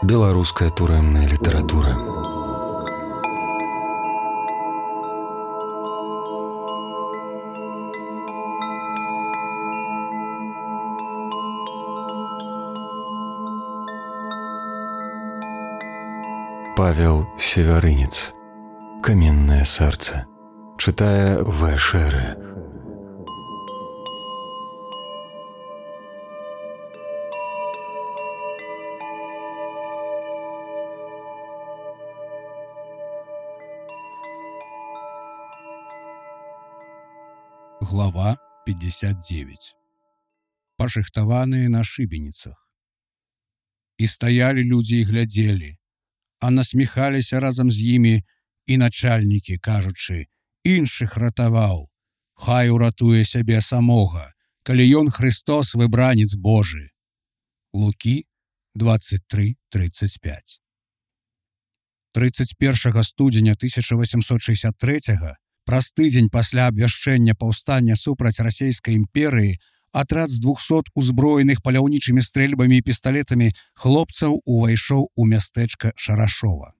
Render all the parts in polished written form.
Беларуская турэмная літаратура. Павел Севярынец. Каменное сердце. Читая В. Шере. Глава 59. Пашыхтаваныя на шыбеніцах. І стаялі людзі і глядзелі, а насміхаліся разам з імі і начальнікі, кажучы, іншых ратаваў, хай уратуе сябе самога, калі ён Христос выбранец Божы. Лукі 23:35. 31 студзеня 1863 праз тыдзень пасля абвяшчэння паўстання супраць расійскай імперыі атрад з 200 узброеных паляўнічымі стрэльбамі і пісталетамі хлопцаў увайшоў у мястэчка Шарашова.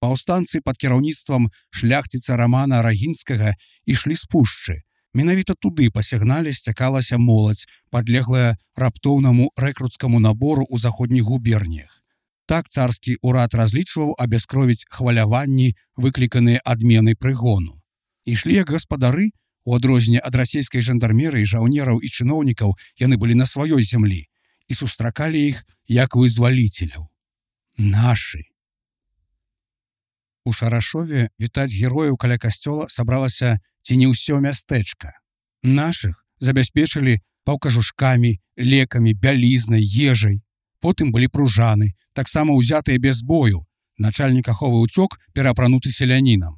Паўстанцы пад кіраўніцтвам шляхціца Рамана Рагінскага ішлі з пушчы. Менавіта туды па сігнале сцякалася моладзь, падлеглая раптоўнаму рэкруцкаму набору ў заходніх губерніях. Так царскі ўрад разлічваў абяскровіць хваляванні, выкліканыя адменай прыгону. Ішлі як гаспадары, у адрозненне ад расійскай жандармерыі, жаўнераў і чыноўнікаў, яны былі на сваёй зямлі і сустракалі іх як вызваліцеляў. Нашы. У Шарашове вітаць герояў каля касцёла сабралася ці не ўсё мястэчка. Нашых забяспечылі паўкажушкамі, лекамі, бялізнай, ежай. Потым былі пружаны, таксама ўзятыя без бою. Начальнік аховы ўцёк, пераапрануты селянінам.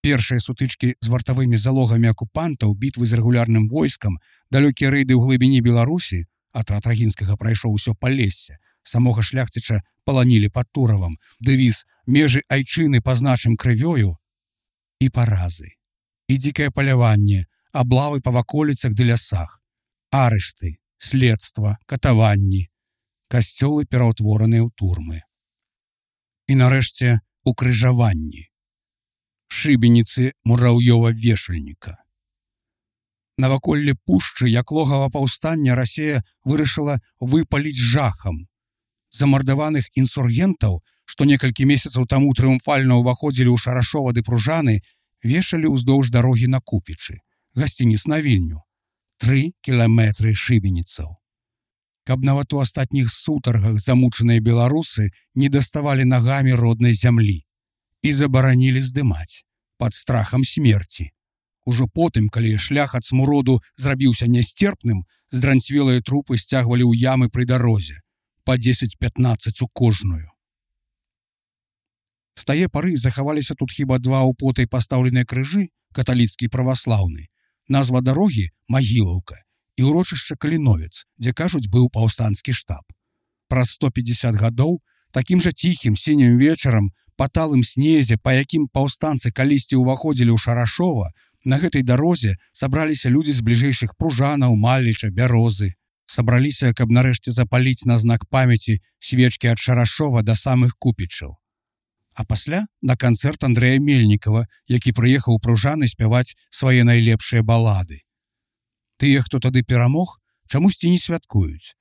Першыя сутычкі з вартавымі залогамі акупантаў, бітвы з рэгулярным войскам, далёкія рэйды ў глыбіні Беларусі, атрад Рагінскага прайшоў усё Палессе, самога шляхціча паланілі пад Туравам, дэвіз «Межы айчыны пазначым крывёю» і паразы. І дзікае паляванне, аблавы па ваколіцах ды лясах, арышты, следства, катаванні, касцёлы пераўтвораныя ў турмы. І нарэшце укрыжаванні. Шыбеніцы мураўёва-вешальніка. Наваколле пушчы, як логава паўстання, Расія вырашыла выпаліць жахам. Замардаваных інсургентаў, што некалькі месяцаў таму трыумфальна ўваходзілі ў Шарашова ды Пружаны, вешалі ўздоўж дарогі на Купічы, гасцініц на Вільню. 3 кіламетры шыбеніцаў. Каб нават у астатніх сутаргах замучаныя беларусы не даставалі нагамі роднай зямлі. І забаранілі здымаць, пад страхам смерці. Ужо потым, калі шлях ад смуроду зрабіўся нясцерпным, здранцвелыя трупы сцягвалі ў ямы пры дарозе, па 10-15 у кожную. З тае пары захаваліся тут хіба 2 ў потай пастаўленыя крыжы, каталіцкі і праваслаўны, назва дарогі Магілаўка і ўрочышча Каліновец, дзе, кажуць, быў паўстанскі штаб. Праз 150 гадоў такім жа ціхім сінім вечарам па талым снезе, па якім паўстанцы калісьці ўваходзілі ў Шарашова, на гэтай дарозе сабраліся людзі з бліжэйшых Пружанаў, Маліча, Бярозы. Сабраліся, каб нарэшце запаліць на знак памяці свечкі ад Шарашова да самых Купічаў. А пасля на канцэрт Андрэя Мельнікава, які прыехаў у Пружаны спяваць свае найлепшыя балады. Тыя, хто тады перамог, чамусьці не святкуюць.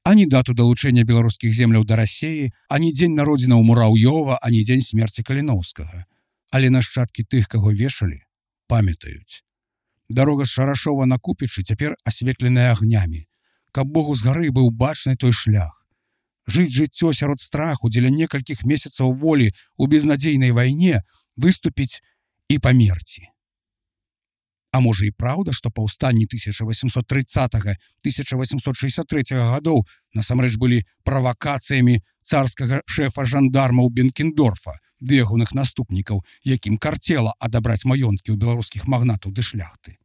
Ані дату далучэння беларускіх земляў да Расіі, ані дзень народзінаў Мураўёва, ані дзень смерці Каліноўскага. Але нашчадкі тых, каго вешалі, памятаюць. Дарога з Шарашова на Купічы цяпер асветленая агнямі. Каб Богу з гары быў бачны той шлях. Жыць жыццё сярод страху дзеля некалькіх месяцаў волі ў безнадзейнай вайне, выступіць і памерці. А можа і праўда, што паўстанні 1830-1863 гадоў насамрэч былі правакацыямі царскага шэфа жандармаў Бенкендорфа ды ягоных наступнікаў, якім карцела адабраць маёнткі ў беларускіх магнатаў ды шляхты.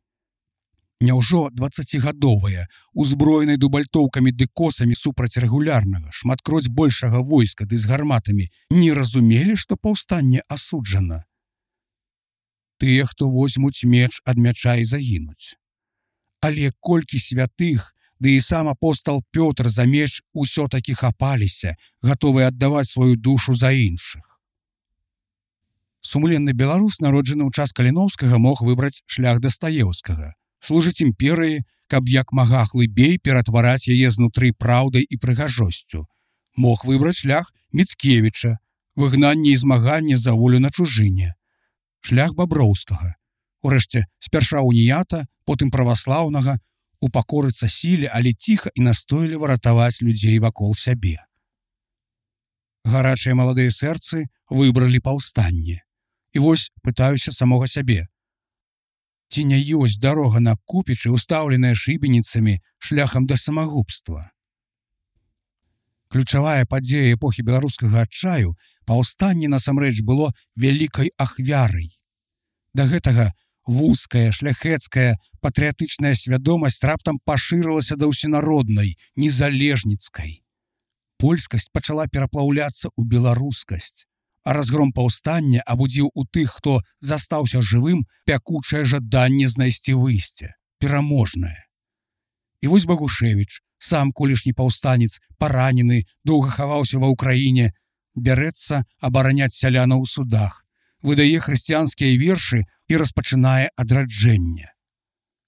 Няўжо 20гадовыя, узброеныя дубальтоўкамі ды косамі супраць рэгулярнага, шматкроць большага войска ды з гарматамі, не разумелі, што паўстанне асуджана? Тыя, хто возьмуць меч ад мяча і загінуць. Але колькі святых ды і сам апостал Пётр за меч усё-такі хапаліся, гатовыя аддаваць сваю душу за іншых. Сумленны беларус, народжаны ў час Каліноўскага, мог выбраць шлях Дастаеўскага, служыць імперыі, каб як мага глыбей ператвараць яе знутры праўдай і прыгажосцю. Мог выбраць шлях Міцкевіча, выгнанне і змаганне за волю на чужыне. Шлях Баброўскага, урэшце спярша уніята, потым праваслаўнага, упакорыцца сіле, але ціха і настойліва ратаваць людзей вакол сябе. Гарачыя маладыя сэрцы выбралі паўстанне. І вось пытаюся самога сябе. Ці не ёсць дарога на Купічы, устаўленая шыбеніцамі шляхам да самагубства? Ключавая падзея эпохі беларускага адчаю, паўстанне насамрэч было вялікай ахвярай. Да гэтага вузкая, шляхецкая, патрыятычная свядомасць раптам пашырылася да ўсенароднай, незалежніцкай. Польскасць пачала пераплаўляцца ў беларускасць, а разгром паўстання абудзіў у тых, хто застаўся жывым, пякучае жаданне знайсці выйсце, пераможнае. І вось Багушевіч, сам колішні паўстанец, паранены, доўга хаваўся ва ўкраіне, бярэцца абараняць сялянаў у судах, выдае хрысціянскія вершы і распачынае адраджэнне.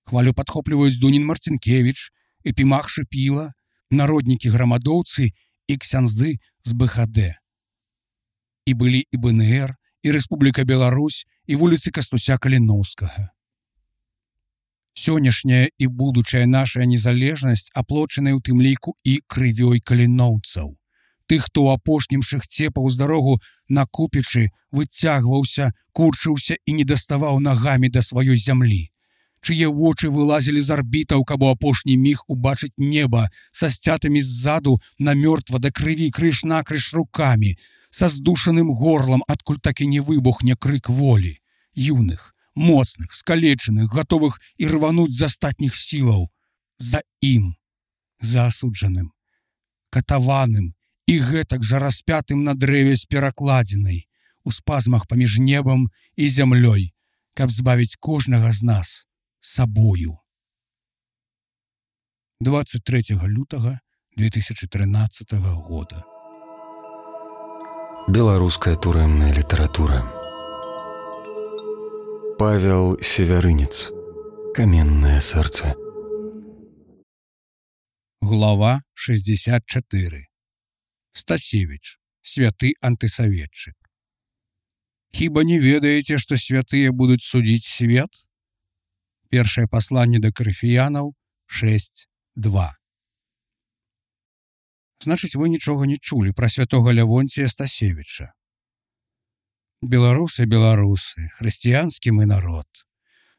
Хвалю падхопліваюць Дунін Марцінкевіч, Епімах Шыпіла, народнікі-грамадоўцы і ксяндзы з БХД. І былі і БНР, і Рэспубліка Беларусь, і вуліцы Кастуся Каліноўскага. Сённяшняя і будучая наша незалежнасць аплочаная ў тым ліку і крывёй каліноўцаў. Тых, хто ў апошнім шыхце паўз дарогу на Купічы выцягваўся, курчыўся і не даставаў нагамі да сваёй зямлі, чые вочы вылазілі з арбітаў, каб у апошні міг убачыць неба са сцятымі ззаду на мёртва да крыві крыж-накрыж рукамі, са здушаным горлам, адкуль так і не выбухне крык волі, юных, моцных, скалечаных, гатовых і рвануць з астатніх сілаў. За ім, за асуджаным, катаваным і гэтак жа распятым на дрэве з перакладзінай, у спазмах паміж небам і зямлёй, каб збавіць кожнага з нас сабою. 23 лютага 2013 года. Беларуская турэмная літаратура. Павел Севярынец. Каменное сэрца. Глава 64. Стасевіч. Святы антысаветчык. Хіба не ведаеце, што святыя будуць судзіць свет? Першае пасланне да карыфіянаў 6:2. Значыць, вы нічога не чулі пра святога Лявонція Стасевіча. Беларусы, хрысціянскі мы народ.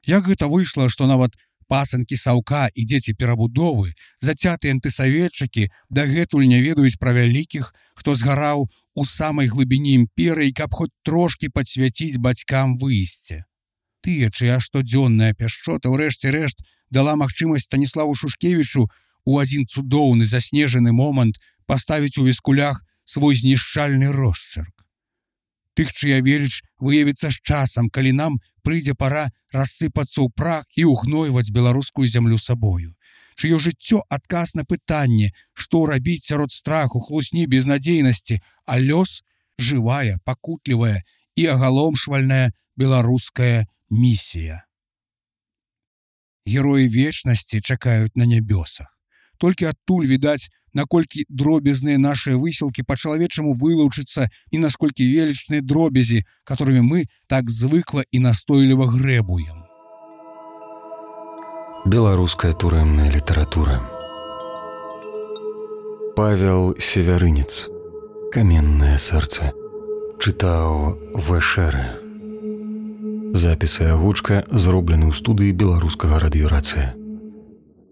Як гэта выйшла, што нават пасынкі Саўка і дзеці перабудовы, зацятыя антысаветчыкі, дагэтуль не ведаюць пра вялікіх, хто згараў у самай глыбіні імперыі, каб хоць трошкі падсвяціць бацькам выйсце. Тыя, чыя штодзённая пяшчота, ўрэшце рэшт, дала магчымасць Станіславу Шушкевічу у адзін цудоўны заснежаны момант паставіць у віскулях свой знішчальны росчырк. Тых, чыя веліч выявіцца з часам, калі нам прыйдзе пара рассыпацца ў прах і ўгнойваць беларускую зямлю сабою. Чыё жыццё адказ на пытанне, што рабіць сярод страху, хлусні, безнадзейнасці, а лёс жывая, пакутлівая і агаломшвальная беларуская місія. Героі вечнасці чакаюць на нябёсах. Толькі адтуль відаць, наколькі дробязныя нашыя высілкі па-чалавечаму вылучыцца і насколькі велічныя дробязі, которымі мы так звыкла і настойліва грэбуем. Беларуская турэмная літаратура. Павел Севярынец. Каменное сэрца. Чытаў ВШР. Запіс і агучка зроблены ў студыі беларускага радыёрацыя.